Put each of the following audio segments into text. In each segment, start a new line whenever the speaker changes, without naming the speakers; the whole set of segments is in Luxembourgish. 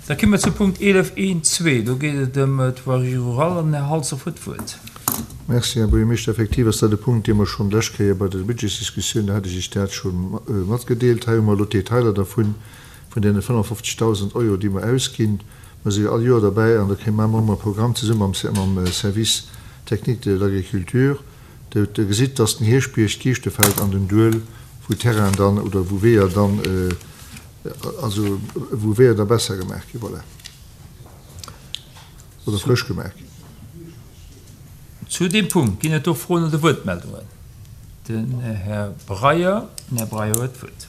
Da komme mer zu Punkt 11.1.2. Do geet et ëm d'Voirie rurale an den Här Halsdorf huet d'Wuert.
Merci, Här Buergermeeschter. Effektiv ass dat e Punkt, dee mer schonn d'lescht Kéier bei der Budgetsdiskussioun, do hat ech Iech dat scho matgedeelt. Hei hu mer elo d'Detailer dervun, vun deene 55.000 Euro, déi mer ausginn. Mer si jo all Joer derbäi an da kréie mer ëmmer e Programm zesumme mam Service technique de l'agriculture. Der gesitt, dass den Hierschtbierg, d'Kiischtefeld an den Duel, wou Terrainen dann oder wou Weeër dann, also wou Weeër da besser gemaach ginn, voilà, oder frësch gemaach ginn.
Zu deem Punkt ginn et do Froen oder Wuertmeldungen? Den Här Breyer. Den Här Breyer huet d'Wuert.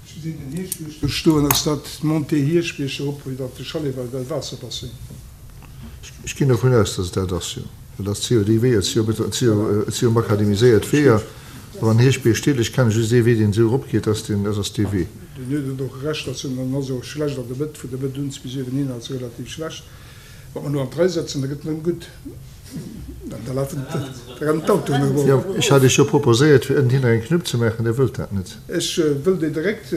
Ech gesinn den Hierschtbierg do stoen. Ass dat d'Montée Hierschtbierg erop iwwer de Chalet well Waasserbasseng?
Ech ginn dovun aus, dass et dat ass, jo. Well dat si jo déi Weeër, et si jo, et si jo, et si jo makadamiséiert Weeër. Awer an Hierschtbierg steet, ech kenne just ee Wee, deen esou eropgeet, dat ass deen, dat ass dee Wee.
Deen huet et och Recht, ass en ass och schlecht an der Mëtt, vun der Mëtt un bis uewen hin ass e relativ schlecht. Wa mer elo an d'Rei setzen, da gëtt en erëm gutt. Da lafen, da rennen d'Autoen erëm
op. Jo, ech hat Iech jo proposéiert, fir ënnenhinner eng Knupp ze maachen. Dir wëllt dat net.
Ech wëll déi direkt,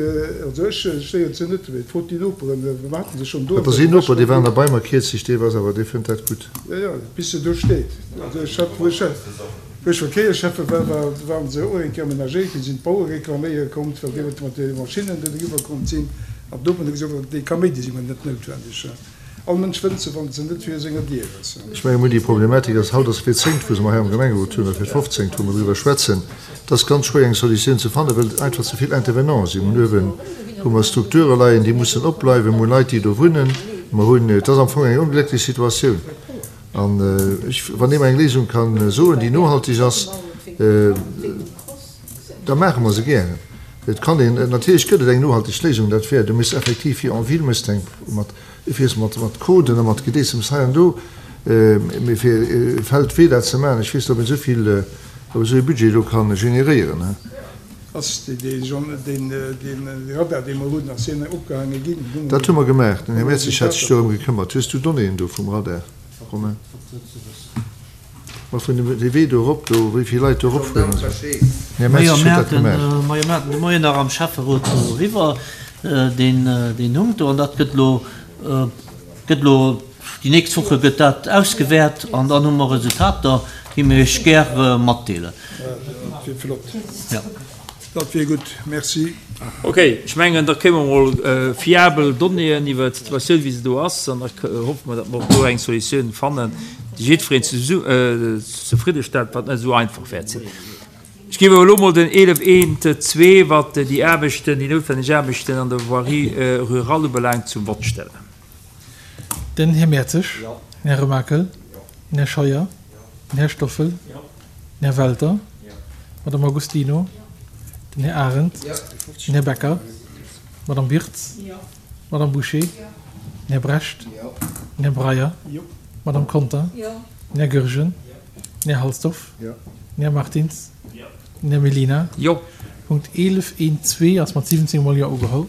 also ech stéieren se net, mee frot déi Noperen, mer haten se schonn do.
Dat ass een Noper, dee war nach bei mer kierzlech, dee ass awer, dee fënnt dat gutt.
Jo, jo, bis se do steet. Also ech hat, wou ech, wou ech Verkéierschäffe war, war, waren se och eng Kéier amenagéiert ginn, sinn d'Bauere reklaméiere kommt, well déi mat de Maschinnen do driwwer kommt sinn. An d'Noperen hu gesot, déi Kaméidi si mer net noutwendeg. All Mënsch wënnt se, wann se net vir senger Dier ass.
Ech mengen, mir hunn déi Problematik, ass haut ass fir d'zéngt, wou se mer hei am Gemengerot hunn, oder fir d'fofzéngt, wou mer driwwer schwätzen. Et ass ganz schwéier eng Solutioun ze fannen, well et einfach ze vill Intervenanten sinn. Mir hunn uewen hu mer Strukture leien, déi mussen opbleiwen, mir hu Leit, déi do wunnen, mer hunn, et ass am Fong eng onglécklech Situatioun. An ech, wann ee mer eng Léisung ka soen, déi nohalteg ass, da maache mer se gären. Et kann een, natierlech gëtt et eng nohalteg Léisung, dat wär, du misst effektiv fir en ville méchs de eng mat, Du fiers mat mat Coden a mat Gedeessems hei an do, mee fir Feldwee dat ze maachen, ech weess net, ob een esou vill, ob esou ee Budget do ka generéieren, he.
Ass dee dee Radar, dee mer hunn, ass deen opgehaange ginn?
Dat hu mer gemaach. Den Här Mertzig hat sech dorëm gekëmmert. Hues du Donnéeën do vum Radar, Romain? Ma vun dem dee Wee do erop do, wéi vill Leit do eropfueren an esou. Den Här
Mertzig huet dat gemaach. Majo, mir haten de Moien nach am Schäfferot doriwwer, deen deen Hunkt do. An dat gëtt elo, gëtt elo, déi nächst Woche gëtt dat ausgewäert an dann hu mer Resultater, déi mir Iech gär matdeelen.
Dat wier flott. Jo. Dat wier gutt. Merci.
Ok, ech mengen, da kréie mer emol fiabel Donnéeën iwwert d'Situatioun, wéi se do ass, an da hoffe mer, datt mer och do eng Solutioun fannen, déi jiddwereen zefriddestellt, wat net esou einfach wäert sinn. Ech géif awer elo emol den 11 eent zwee, wat déi Aarbechten, déi noutwenneg Aarbechten an der Voirie rurale ubelaangt, zum Vott stellen.
Den Här Mertzig, den Här Remakel, den Här Scheuer, den Här Stoffel, Den Här Welter, d'Madame Agostino, den Här Arendt, den Här Becker, d'Madame Wirtz, d'Madame Bouché, den Här Brecht, den Här Breyer, d'Madame Conter, den Här Goergen, den Här Halsdorf, den Här Martins, den Här Mellina. Punkt 11, 1, 2 ass mat 17 mol Jo ugeholl.